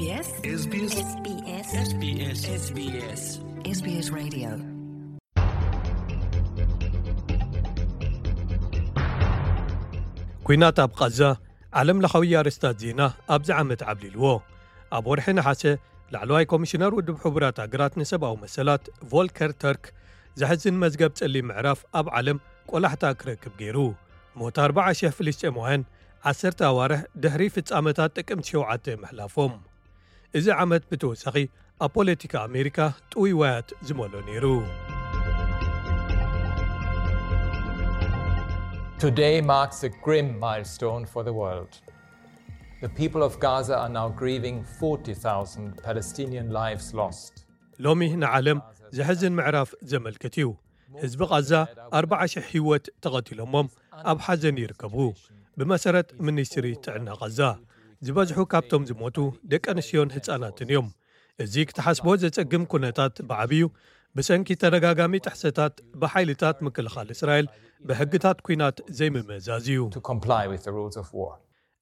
SBS SBS SBS SBS SBS Radio. ኲናት ኣብ ቓዛ ዓለም ለኻዊ ኣርእስታት ዜና ኣብዚ ዓመት ዓብሊልዎ። ኣብ ወርሒ ነሓሰ ላዕለዋይ ኮሚሽነር ውድብ ሕቡራት ሃገራት ንሰብኣዊ መሰላት ቮልከር ተርክ ዘሕዝን መዝገብ ጸሊም ምዕራፍ ኣብ ዓለም ቆላሕታ ክረክብ ገይሩ። ሞት ኣርባዓ ሽሕ ፍልስጤማውያን ዓሰርተ ኣዋርሕ ድሕሪ ፍጻመታት ጥቅምቲ ሸውዓተ ምሕላፎም። እዚ ዓመት ብተወሳኺ ኣብ ፖለቲካ ኣሜሪካ ጥውይዋያት ዝመሎ ነይሩ። Today marks a grim milestone for the world. The people of Gaza are now grieving forty thousand Palestinian lives lost. ሎሚ ንዓለም ዘሕዝን ምዕራፍ ዘመልክት እዩ። ህዝቢ ቓዛ ኣርባዓ ሽሕ ህይወት ተቐቲሎሞም ኣብ ሓዘን ይርከቡ። ብመሰረት ሚኒስትሪ ጥዕና ቓዛ ዝበዝሑ ካብቶም ዝሞቱ ደቂ ኣንስትዮን ህፃናትን እዮም። እዚ ክትሓስቦ ዘጸግም ኩነታት ብዓብዩ ብሰንኪ ተደጋጋሚ ጥሕሰታት ብሓይልታት ምክልኻል እስራኤል ብሕግታት ኲናት ዘይምምእዛዝ እዩ። To comply with the rules of war.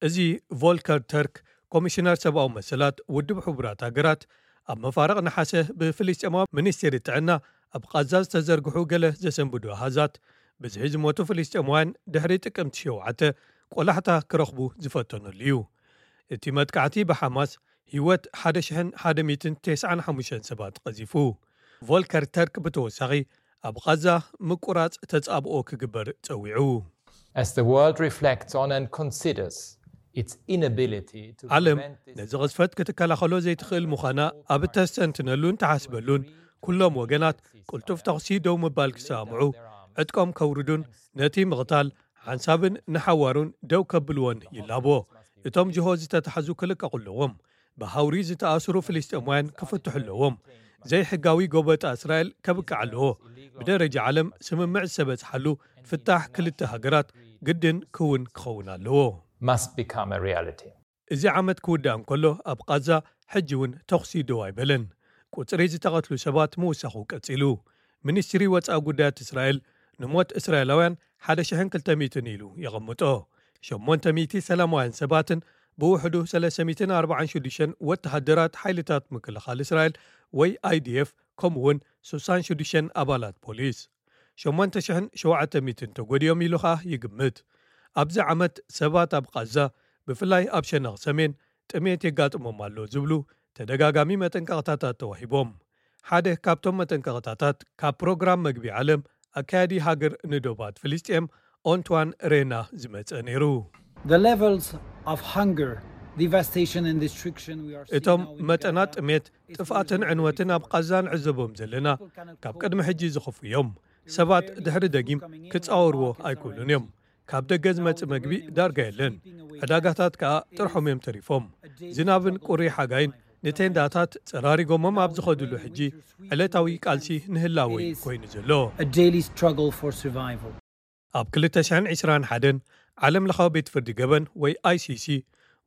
እዚ ቮልከር ተርክ ኮሚሽነር ሰብኣዊ መሰላት ውድብ ሕቡራት ሃገራት ኣብ መፋርቕ ነሓሰ ብፍልስጤማዊ ሚኒስቴር ጥዕና ኣብ ቓዛ ዝተዘርግሑ ገለ ዘሰንብዱ ኣሃዛት ብዝሒ ዝሞቱ ፍልስጤማውያን ድሕሪ ጥቅምቲ ሸውዓተ ቆላሕታ ክረኽቡ ዝፈተነሉ እዩ። እቲ መጥቃዕቲ ብሓማስ ህይወት ሓደ ሽሕን ሓደ ሚእትን ተስዓን ሓሙሽተን ሰባት ቀዚፉ። ቮልከር ተርክ ብተወሳኺ ኣብ ቓዛ ምቁራጽ ተጻብኦ ክግበር ጸዊዑ። As the world reflects on and considers its inability to ዓለም prevent this ነዚ ቅዝፈት ክትከላኸሎ ዘይትኽእል ምዃና ኣብ እተስተንትነሉን ትሓስበሉን ኩሎም ወገናት ቅልጡፍ ተኹሲ ደው ምባል ክሰማምዑ ዕጥቆም ከውርዱን ነቲ ምቕታል ሓንሳብን ንሓዋሩን ደው ከብልዎን ይላቦ። እቶም ጅሆ ዝተታሕዙ ክልቀቑ ኣለዎም። ብሃውሪ ዝተኣስሩ ፍልስጤማውያን ክፍትሑ ኣለዎም። ዘይሕጋዊ ጎበጣ እስራኤል ከብቅዕ ኣለዎ። ብደረጃ ዓለም ስምምዕ ዝተበጽሓሉ ፍታሕ ክልተ ሃገራት ግድን ክውን ክኸውን ኣለዎ። Must become a reality. እዚ ዓመት ክውዳእ እንከሎ ኣብ ቓዛ ሕጂ እውን ተኹሲ ደው ኣይበለን። ቁጽሪ ዝተቐትሉ ሰባት ምውሳኹ ቀጺሉ። ሚኒስትሪ ወጻኢ ጉዳያት እስራኤል ንሞት እስራኤላውያን ሓደ ሽሕን ክልተ ሚእትን ኢሉ የቐምጦ። ሸሞንተ ሚእቲ ሰላማውያን ሰባትን ብውሕዱ ሰለስተ ሚእትን ኣርባዓን ሽዱሽተን ወተሃደራት ሓይልታት ምክልኻል እስራኤል ወይ ኣይዲኤፍ ከምኡ እውን ስሳን ሽዱሽተን ኣባላት ፖሊስ ሸሞንተ ሽሕን ሸውዓተ ሚእትን ተጎዲኦም ኢሉ ኸኣ ይግምት። ኣብዚ ዓመት ሰባት ኣብ ቓዛ ብፍላይ ኣብ ሸነኽ ሰሜን ጥሜት የጋጥሞም ኣሎ ዝብሉ ተደጋጋሚ መጠንቀቕታታት ተዋሂቦም። ሓደ ካብቶም መጠንቀቕታታት ካብ ፕሮግራም መግቢ ዓለም ኣካያዲ ሃገር ንዶባት ፍልስጤም ኦንትዋን ሬና ዝመጸ ነይሩ። The levels of hunger, devastation and destruction we are seeing እቶም now in መጠናት Gaza ጥሜት is ጥፍኣትን beyond ዕንወትን ኣብ ቃዛ ንዕዘቦም ዘለና ካብ ቅድሚ ሕጂ ዝኸፍኡ እዮም። ሰባት ድሕሪ ደጊም ክጻወርዎ ኣይክእሉን እዮም። ካብ ደገ ዝመጽእ መግቢ ዳርጋ የለን። ዕዳጋታት ከኣ ጥርሖም እዮም ተሪፎም። ዝናብን ቁሪ ሓጋይን ንቴንዳታት ጸራሪጎሞም ኣብ ዝኸድሉ ሕጂ ዕለታዊ ቃልሲ ንህላወ እዩ ኮይኑ ዘሎ። A daily struggle for survival. ኣብ ክልተ ሽሕን ዕስራን ሓደን ዓለም ለኻዊ ቤት ፍርዲ ገበን ወይ ኣይሲሲ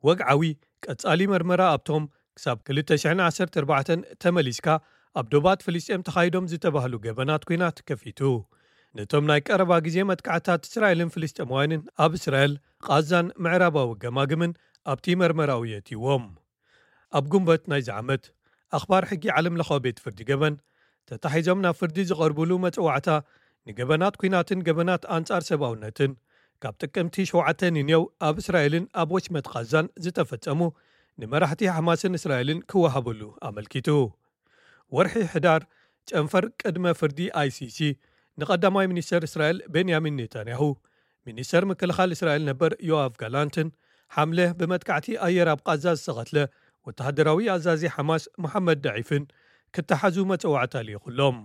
ወግዓዊ ቀጻሊ መርመራ ኣብቶም ክሳብ ክልተ ሽሕን ዓሰርተ ኣርባዕተን ተመሊስካ ኣብ ዶባት ፍልስጤም ተኻይዶም ዝተባህሉ ገበናት ኲናት ከፊቱ። ነቶም ናይ ቀረባ ግዜ መጥቃዕታት እስራኤልን ፍልስጤማውያንን ኣብ እስራኤል ቓዛን ምዕራባዊ ገማግምን ኣብቲ መርመራኡ የእትይዎም። ኣብ ጉንበት ናይዚ ዓመት ኣኽባር ሕጊ ዓለም ለኻዊ ቤት ፍርዲ ገበን ተታሒዞም ናብ ፍርዲ ዝቐርብሉ መጽዋዕታ ንገበናት ኲናትን ገበናት ኣንጻር ሰብኣውነትን ካብ ጥቅምቲ ሸውዓተ ንኔው ኣብ እስራኤልን ኣብ ወሽመጥ ቓዛን ዝተፈጸሙ ንመራሕቲ ሓማስን እስራኤልን ክወሃበሉ ኣመልኪቱ። ወርሒ ሕዳር ጨንፈር ቅድመ ፍርዲ ኣይሲሲ ንቐዳማይ ሚኒስተር እስራኤል ቤንያሚን ኔታንያሁ፣ ሚኒስተር ምክልኻል እስራኤል ነበር ዮኣቭ ጋላንትን ሓምለ ብመጥቃዕቲ ኣየር ኣብ ቓዛ ዝተቐትለ ወተሃደራዊ ኣዛዚ ሓማስ መሓመድ ዳዒፍን ክተሓዙ መጸዋዕታ ልኢኹሎም።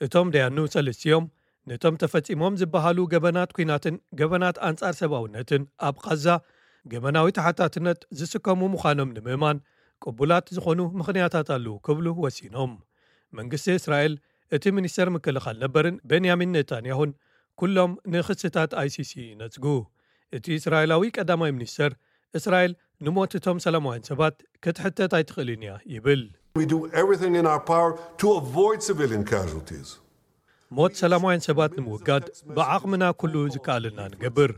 እቶም ደያኑ ሰለስቲኦም ነቶም ተፈጺሞም ዝበሃሉ ገበናት ኲናትን ገበናት ኣንጻር ሰብኣውነትን ኣብ ቓዛ ገበናዊ ተሓታትነት ዝስከሙ ምዃኖም ንምእማን ቅቡላት ዝኾኑ ምኽንያታት ኣለዉ ክብሉ ወሲኖም። መንግስቲ እስራኤል እቲ ሚኒስተር ምክልኻል ነበርን ቤንያሚን ኔታንያሁን ኩሎም ንክስታት ኣይሲሲ ይነጽጉ። እቲ እስራኤላዊ ቀዳማይ ሚኒስተር እስራኤል ንሞት እቶም ሰላማውያን ሰባት ክትሕተት ኣይትኽእልን እያ ይብል። We do everything in our power to avoid civilian casualties. ሞት ሰላማውያን ሰባት ንምውጋድ ብዓቕምና ኩሉ ዝከኣለና ንገብር።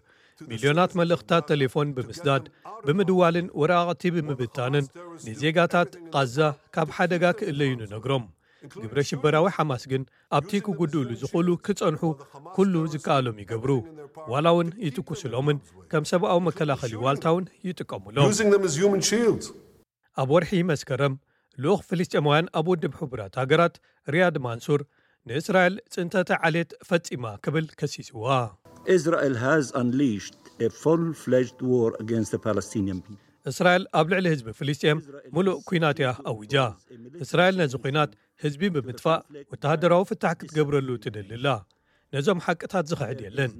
ሚልዮናት መልእኽታት ቴሌፎን ብምስዳድ፣ ብምድዋልን ወረቓቕቲ ብምብታንን ንዜጋታት ቓዛ ካብ ሓደጋ ክእለዩ ንነግሮም። ግብረ ሽበራዊ ሓማስ ግን ኣብቲ ክጉድእሉ ዝኽእሉ ክጸንሑ ኩሉ ዝከኣሎም ይገብሩ። ዋላ እውን ይትኩስሎምን ከም ሰብኣዊ መከላኸሊ ዋልታ እውን ይጥቀሙሎም። Using them as human shields. ኣብ ወርሒ መስከረም ልኡኽ ፍልስጤማውያን ኣብ ውድብ ሕቡራት ሃገራት ሪያድ ማንሱር ንእስራኤል ጽንተተ ዓሌት ፈጺማ ክብል ከሲስዋ። Israel has unleashed a full-fledged war against the Palestinian people. እስራኤል ኣብ ልዕሊ ህዝቢ ፍልስጤም ሙሉእ ኲናት እያ ኣዊጃ። እስራኤል ነዚ ኲናት ህዝቢ ብምጥፋእ ወተሃደራዊ ፍታሕ ክትገብረሉ ትደሊ ኣላ። ነዞም ሓቅታት ዝኽሕድ የለን።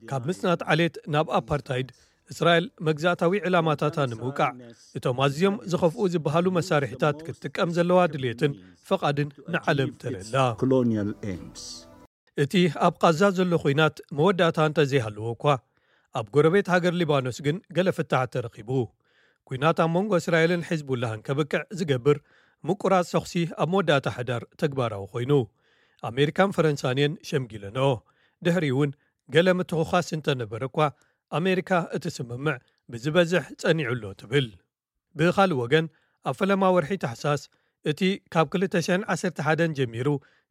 ካብ ምጽናት ዓሌት ናብ ኣፓርታይድ እስራኤል መግዛእታዊ ዕላማታታ ንምውቃዕ እቶም ኣዝዮም ዝኸፍኡ ዝበሃሉ መሳርሒታት ክትጥቀም ዘለዋ ድልየትን ፈቓድን ንዓለም ተረላ። Colonial aims. እቲ ኣብ ቓዛ ዘሎ ኲናት መወዳእታ እንተዘይሃለዎ እኳ ኣብ ጎረቤት ሃገር ሊባኖስ ግን ገለ ፍታሕ ተረኺቡ። ኲናት ኣብ መንጎ እስራኤልን ሒዝቡላህን ከብቅዕ ዝገብር ምቁራጽ ተኹሲ ኣብ መወዳእታ ሕዳር ተግባራዊ ኮይኑ። ኣሜሪካን ፈረንሳን እየን ሸምጊለንኦ። ድሕሪ እውን ገለ ምትኹኻስ እንተነበረ እኳ ኣሜሪካ እቲ ስምምዕ ብዝበዝሕ ጸኒዑ ኣሎ ትብል። ብኻልእ ወገን ኣብ ፈለማ ወርሒ ታሕሳስ እቲ ካብ ክልተ ሽሕን ዓሰርተ ሓደን ጀሚሩ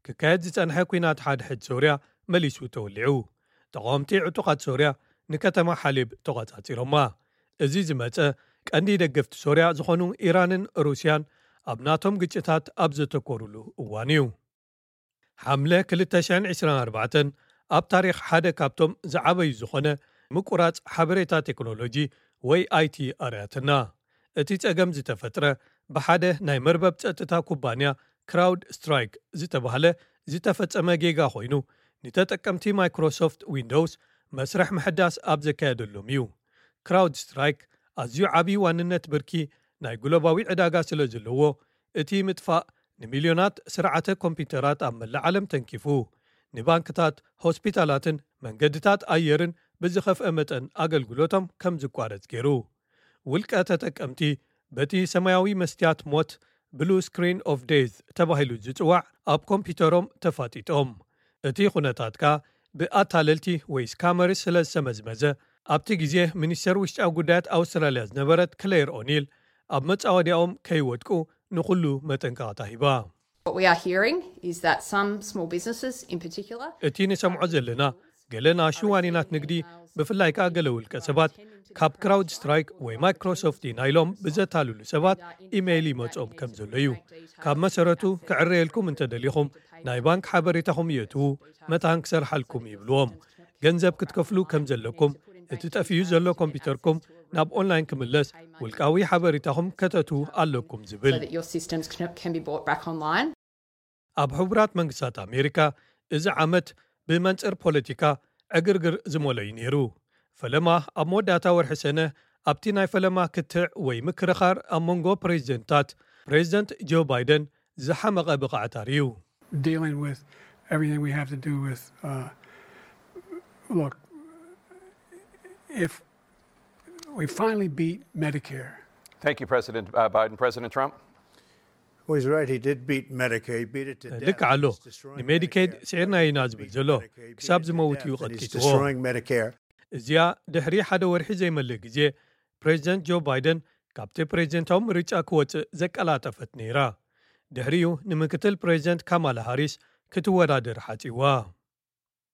ክካየድ ዝጸንሐ ኲናት ሓድሕድ ሶርያ መሊሱ ተወሊዑ። ተቓወምቲ ዕጡቓት ሶርያ ንከተማ ሓሌብ ተቖጻጺሮማ። እዚ ዝመጸ ቀንዲ ደገፍቲ ሶርያ ዝኾኑ ኢራንን ሩስያን ኣብ ናቶም ግጭታት ኣብ ዘተኮሩሉ እዋን እዩ። ሓምለ ክልተ ሽሕን ዕስራን ኣርባዕተን ኣብ ታሪኽ ሓደ ካብቶም ዝዓበዩ ዝኾነ ምቁራጽ ሓበሬታ ቴክኖሎጂ ወይ ኣይቲ ኣርያትና። እቲ ጸገም ዝተፈጥረ ብሓደ ናይ መርበብ ጸጥታ ኩባንያ ክራውድ ስትራይክ ዝተባህለ ዝተፈጸመ ጌጋ ኮይኑ፣ ንተጠቀምቲ ማይክሮሶፍት ዊንዶውስ መስርሕ ምሕዳስ ኣብ ዘካየደሎም እዩ። ክራውድ ስትራይክ ኣዝዩ ዓብዪ ዋንነት ብርኪ ናይ ግሎባዊ ዕዳጋ ስለ ዘለዎ፣ እቲ ምጥፋእ ንሚልዮናት ስርዓተ ኮምፒውተራት ኣብ መላእ ዓለም ተንኪፉ፣ ንባንክታት፣ ሆስፒታላትን መንገድታት ኣየርን ብዝኸፍአ መጠን ኣገልግሎቶም ከም ዝቋረጽ ገይሩ። ውልቀ ተጠቀምቲ በቲ ሰማያዊ መስትያት ሞት፣ ብሉ ስክሪን ኦፍ ዴዝ፣ ተባሂሉ ዝጽዋዕ ኣብ ኮምፒውተሮም ተፋጢጦም። እቲ ኩነታት ከኣ ብኣታለልቲ ወይ ስካመርስ ስለ ዝተመዝመዘ፣ ኣብቲ ግዜ ሚኒስተር ውሽጣዊ ጉዳያት ኣውስትራልያ ዝነበረት ክሌር ኦኒል ኣብ መጻወድያኦም ከይወድቁ ንኹሉ መጠንቀቕታ ሂባ። What we are hearing is that some small businesses in particular እቲ ንሰምዖ ዘለና ገለ ንኣሽቱ ዋኒናት ንግዲ፣ ብፍላይ ከኣ ገለ ውልቀ ሰባት ካብ ክራውድ ስትራይክ ወይ ማይክሮሶፍት ኢና ኢሎም ብዘታልሉ ሰባት ኢሜይል ይመጾም ከም ዘሎ እዩ። ካብ መሰረቱ ክዕረየልኩም እንተደሊኹም ናይ ባንክ ሓበሬታኹም የእትዉ፣ መታን ክሰርሓልኩም ይብልዎም። ገንዘብ ክትከፍሉ ከም ዘለኩም፣ እቲ ጠፍዩ ዘሎ ኮምፒውተርኩም ናብ ኦንላይን ክምለስ፣ ውልቃዊ ሓበሬታኹም ከተእትዉ ኣለኩም ዝብል። So that your systems can, can be brought back online. ኣብ ሕቡራት መንግስታት ኣሜሪካ እዚ ዓመት ብመንጽር ፖለቲካ ዕግርግር ዝመልኦ እዩ ነይሩ። ፈለማ ኣብ መወዳእታ ወርሒ ሰነ ኣብቲ ናይ ፈለማ ክትዕ ወይ ምክርኻር ኣብ መንጎ ፕሬዚደንትታት፣ ፕሬዚደንት ጆ ባይደን ዝሓመቐ ብቕዓት ኣርእዩ። Dealing with everything we have to do with, uh, look, if we finally beat Medicare. Thank you, President uh, Biden. President Trump? Well, he's right. He did beat Medicare. He beat it to death. ልክ ኣሎ። It's destroying ንሜዲኬድ Medicare. ስዒርና ኢና ዝብል ዘሎ። ክሳብ ዝመውት እዩ ቀጥቂጥዎ። እዚኣ ድሕሪ ሓደ ወርሒ ዘይመልእ ግዜ ፕሬዚደንት ጆ ባይደን ካብቲ ፕሬዚደንታዊ ምርጫ ክወፅእ ዘቀላጠፈት ነይራ። ድሕሪኡ ንምክትል ፕሬዚደንት ካማላ ሃሪስ ክትወዳደር ሓፂዋ።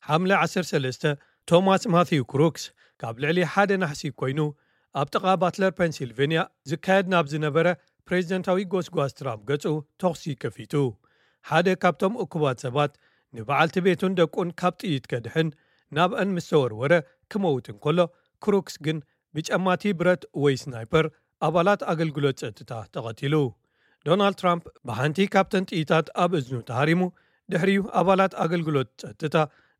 ሓምለ ዓሰርተ ሰለስተ ቶማስ ማቲው ክሩክስ ካብ ልዕሊ ሓደ ናሕሲ ኮይኑ ኣብ ጥቓ ባትለር ፔንሲልቬንያ ዝካየድ ናብ ዝነበረ ፕሬዚደንታዊ ጎስጓስ ትራምፕ ገጹ ተኹሲ ከፊቱ። ሓደ ካብቶም እኩባት ሰባት ንበዓልቲ ቤቱን ደቁን ካብ ጥይት ከድሕን ናብአን ምስ ተወርወረ ክመውት እንከሎ፣ ክሩክስ ግን ብጨማቲ ብረት ወይ ስናይፐር ኣባላት ኣገልግሎት ጸጥታ ተቐቲሉ። ዶናልድ ትራምፕ ብሓንቲ ካብተን ጥይታት ኣብ እዝኑ ተሃሪሙ፣ ድሕሪኡ ኣባላት ኣገልግሎት ጸጥታ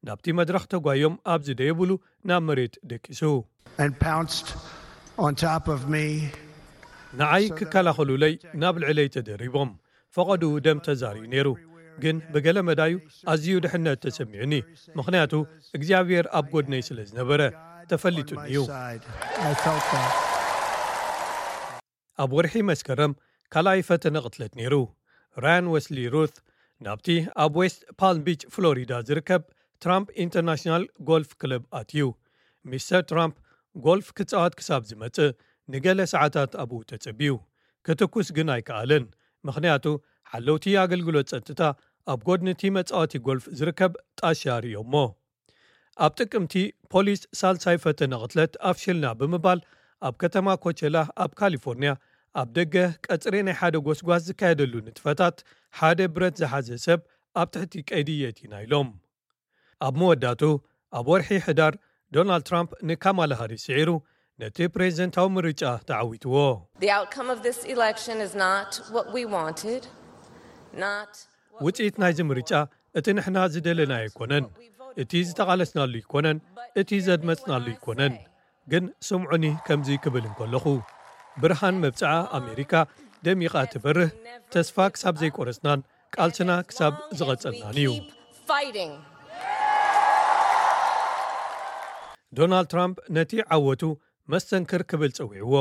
ናብቲ መድረኽ ተጓዮም ኣብ ዝደየብሉ ናብ መሬት ደቂሱ። And pounced on top of me. ንዓይ ክከላኸሉለይ ናብ ልዕለይ ተደሪቦም። ፈቐድኡ ደም ተዛርዩ ነይሩ፣ ግን ብገለ መዳዩ ኣዝዩ ድሕነት ተሰሚዑኒ፣ ምኽንያቱ እግዚኣብሔር ኣብ ጎድነይ ስለ ዝነበረ ተፈሊጡኒ እዩ። Side. I felt that. ኣብ ወርሒ መስከረም ካልኣይ ፈተነ ቅትለት ነይሩ። ራያን ወስሊ ሩት ናብቲ ኣብ ዌስት ፓልም ቢች ፍሎሪዳ ዝርከብ ትራምፕ ኢንተርናሽናል ጎልፍ ክለብ ኣትዩ። ሚስተር ትራምፕ ጎልፍ ክጻወት ክሳብ ዝመጽእ ንገለ ሰዓታት ኣብኡ ተጸብዩ። ክትኩስ ግን ኣይከኣለን፣ ምኽንያቱ ሓለውቲ ኣገልግሎት ጸጥታ ኣብ ጎድኒ እቲ መጻወቲ ጎልፍ ዝርከብ ጣሻ ርእዮሞ። ኣብ ጥቅምቲ ፖሊስ ሳልሳይ ፈተነ ቅትለት ኣፍሽልና ብምባል ኣብ ከተማ ኮቸላ ኣብ ካሊፎርኒያ ኣብ ደገ ቀጽሪ ናይ ሓደ ጎስጓስ ዝካየደሉ ንጥፈታት ሓደ ብረት ዝሓዘ ሰብ ኣብ ትሕቲ ቀይዲ የእቲና ኢሎም። ኣብ መወዳቱ ኣብ ወርሒ ሕዳር ዶናልድ ትራምፕ ንካማላ ሃሪስ ስዒሩ ነቲ ፕሬዝደንታዊ ምርጫ ተዓዊትዎ። The outcome of this election is not what we wanted, not ውፅኢት ናይዚ ምርጫ እቲ ንሕና ዝደለናዮ ኣይኮነን፣ እቲ ዝተቓለስናሉ ኣይኮነን፣ እቲ ዘድመፅናሉ ኣይኮነን። ግን ስምዑኒ ከምዚ ክብል እንከለኹ፣ ብርሃን መብፅዓ ኣሜሪካ ደሚቓ ትበርህ፣ ተስፋ ክሳብ ዘይቆረፅናን ቃልስና ክሳብ ዝቐፀልናን እዩ። Fighting. ዶናልድ ትራምፕ ነቲ ዓወቱ መስተንክር ክብል ፀዊዕዎ።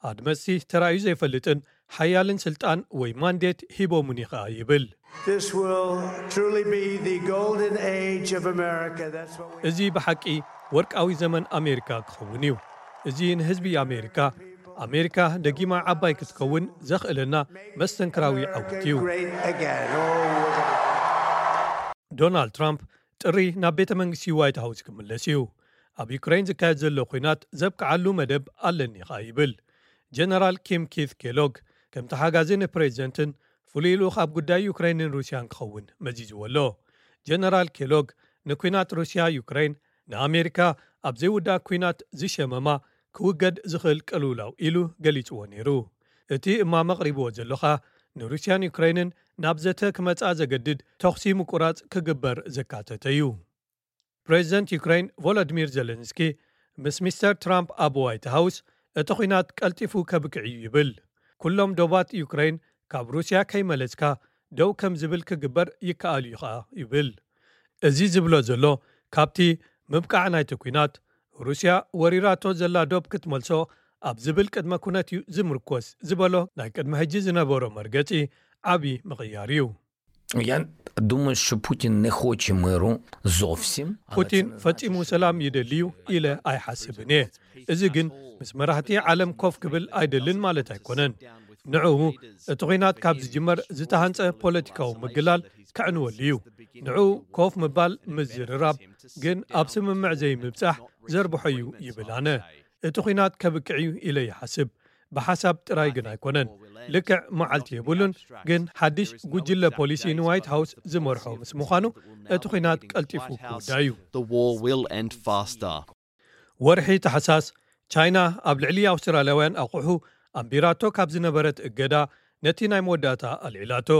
ኣድመፅቲ ተራእዩ ዘይፈልጥን ሓያልን ስልጣን ወይ ማንዴት ሂቦሙኒ ኸኣ ይብል። This will truly be the golden age of America. That's what we እዚ ብሓቂ ወርቃዊ ዘመን ኣሜሪካ ክኸውን እዩ። እዚ ንህዝቢ ኣሜሪካ፣ ኣሜሪካ ደጊማ ዓባይ ክትከውን ዘኽእለና መስተንክራዊ ዓወት እዩ። Great again. Oh, we're gonna- ዶናልድ ትራምፕ ጥሪ ናብ ቤተ መንግስቲ ዋይት ሃውስ ክምለስ እዩ። ኣብ ዩክሬን ዝካየድ ዘሎ ኲናት ዘብቅዓሉ መደብ ኣለኒ ኸኣ ይብል። ጀነራል ኪም ኪት ኬሎግ ከምቲ ሓጋዚ ንፕሬዚደንትን ፍሉይ ልኡኽ ኣብ ጉዳይ ዩክሬንን ሩስያን ክኸውን መዚዝዎ ኣሎ። ጀነራል ኬሎግ ንኲናት ሩስያ ዩክሬን ንኣሜሪካ ኣብ ዘይውዳእ ኲናት ዝሸመማ ክውገድ ዝኽእል ቅልውላው ኢሉ ገሊጽዎ ነይሩ። እቲ እማመ ኣቕሪብዎ ዘሎ ኸኣ ንሩስያን ዩክሬንን ናብ ዘተ ክመጻ ዘገድድ ተኹሲ ምቁራጽ ክግበር ዘካተተ እዩ። ፕሬዚደንት ዩክሬን ቮሎዲሚር ዜለንስኪ ምስ ሚስተር ትራምፕ ኣብ ዋይት ሃውስ እቲ ኲናት ቀልጢፉ ከብቅዕ እዩ ይብል። ኩሎም ዶባት ዩክሬን ካብ ሩስያ ከይመለስካ ደው ከም ዝብል ክግበር ይከኣል እዩ ኸኣ ይብል። እዚ ዝብሎ ዘሎ ካብቲ ምብቃዕ ናይቲ ኲናት ሩስያ ወሪራቶ ዘላ ዶብ ክትመልሶ ኣብ ዝብል ቅድመ ኩነት እዩ ዝምርኮስ ዝበሎ ናይ ቅድሚ ሕጂ ዝነበሮ መርገጺ ዓቢ ምቕያር እዩ። Я думаю, що Путін не хоче миру зовсім. Але це ፑቲን не ፈጺሙ значить, що ሰላም він ይደሊ እዩ ኢለ ኣይሓስብን እየ። እዚ ግን ምስ መራሕቲ ዓለም ኮፍ ክብል ኣይደልን ማለት ኣይኮነን። ንዕኡ እቲ ኲናት ካብ ዝጅመር ዝተሃንጸ ፖለቲካዊ ምግላል ከዕንወሉ እዩ። ንዕኡ ኮፍ ምባል ምዝርራብ ግን ኣብ ስምምዕ ዘይምብጻሕ ዘርብሖ እዩ ይብል ኣነ። እቲ ኲናት ከብቅዕ እዩ ኢለ ይሓስብ። ብሓሳብ ጥራይ ግን ኣይኮነን። ልክዕ መዓልቲ የብሉን፣ ግን ሓድሽ ጉጅለ ፖሊሲ ንዋይት ሃውስ ዝመርሖ ምስ ምዃኑ እቲ ኲናት ቀልጢፉ ክውዳእ እዩ። The war will end faster. ወርሒ ታሕሳስ ቻይና ኣብ ልዕሊ ኣውስትራልያውያን ኣቑሑ ኣንቢራቶ ካብ ዝነበረት እገዳ ነቲ ናይ መወዳእታ ኣልዒላቶ።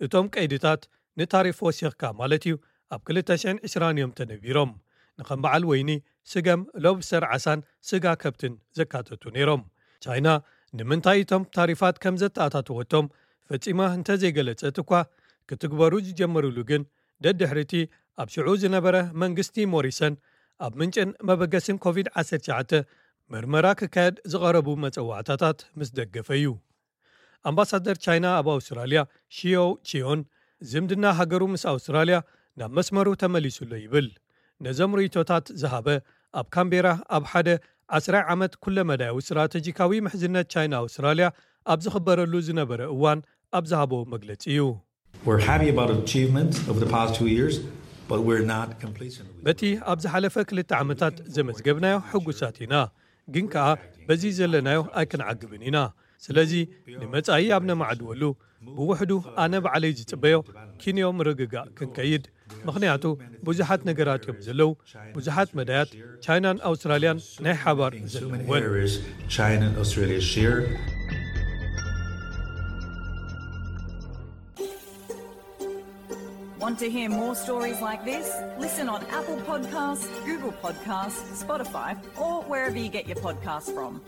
እቶም ቀይድታት ንታሪፍ ወሲኽካ ማለት እዩ ኣብ ክልተ ሽሕን ዕስራን እዮም ተነቢሮም። ንከም በዓል ወይኒ፣ ስገም፣ ሎብስተር ዓሳን ስጋ ከብትን ዘካተቱ ነይሮም። ቻይና ንምንታይ እቶም ታሪፋት ከም ዘተኣታተወቶም ፈጺማ እንተዘይገለጸት እኳ፣ ክትግበሩ ዝጀመሩሉ ግን ደድሕሪቲ ኣብ ሽዑ ዝነበረ መንግስቲ ሞሪሰን ኣብ ምንጭን መበገስን ኮቪድ ዓሰርተ ትሽዓተ ምርመራ ክካየድ ዝቐረቡ መጸዋዕታታት ምስ ደገፈ እዩ። ኣምባሳደር ቻይና ኣብ ኣውስትራልያ ሺዮ ቺዮን ዝምድና ሃገሩ ምስ ኣውስትራልያ ናብ መስመሩ ተመሊሱ ኣሎ ይብል። ነዞም ርእይቶታት ዝሃበ ኣብ ካምቤራ ኣብ ሓደ ዓስራይ ዓመት ኩለመዳያዊ ስትራተጂካዊ ምሕዝነት ቻይና ኣውስትራልያ ኣብ ዝኽበረሉ ዝነበረ እዋን ኣብ ዝሃቦ መግለጺ እዩ። We're happy about achievements over the past two years, but we're not complacent. በቲ ኣብ ዝሓለፈ ክልተ ዓመታት ዘመዝገብናዮ ሕጉሳት ኢና፣ ግን ከኣ በዚ ዘለናዮ ኣይክንዓግብን ኢና። ስለዚ ንመጻኢ ኣብ ነማዕድወሉ ብውሕዱ ኣነ ባዕለይ ዝጽበዮ ኪንዮ ምርግጋእ ክንከይድ፣ ምኽንያቱ ብዙሓት ነገራት እዮም ዘለዉ፣ ብዙሓት መዳያት ቻይናን ኣውስትራልያን ናይ ሓባር In so many ዘለወን። areas, China and Australia share. Want to hear more stories like this? Listen on Apple Podcasts, Google Podcasts, Spotify, or wherever you get your podcasts from.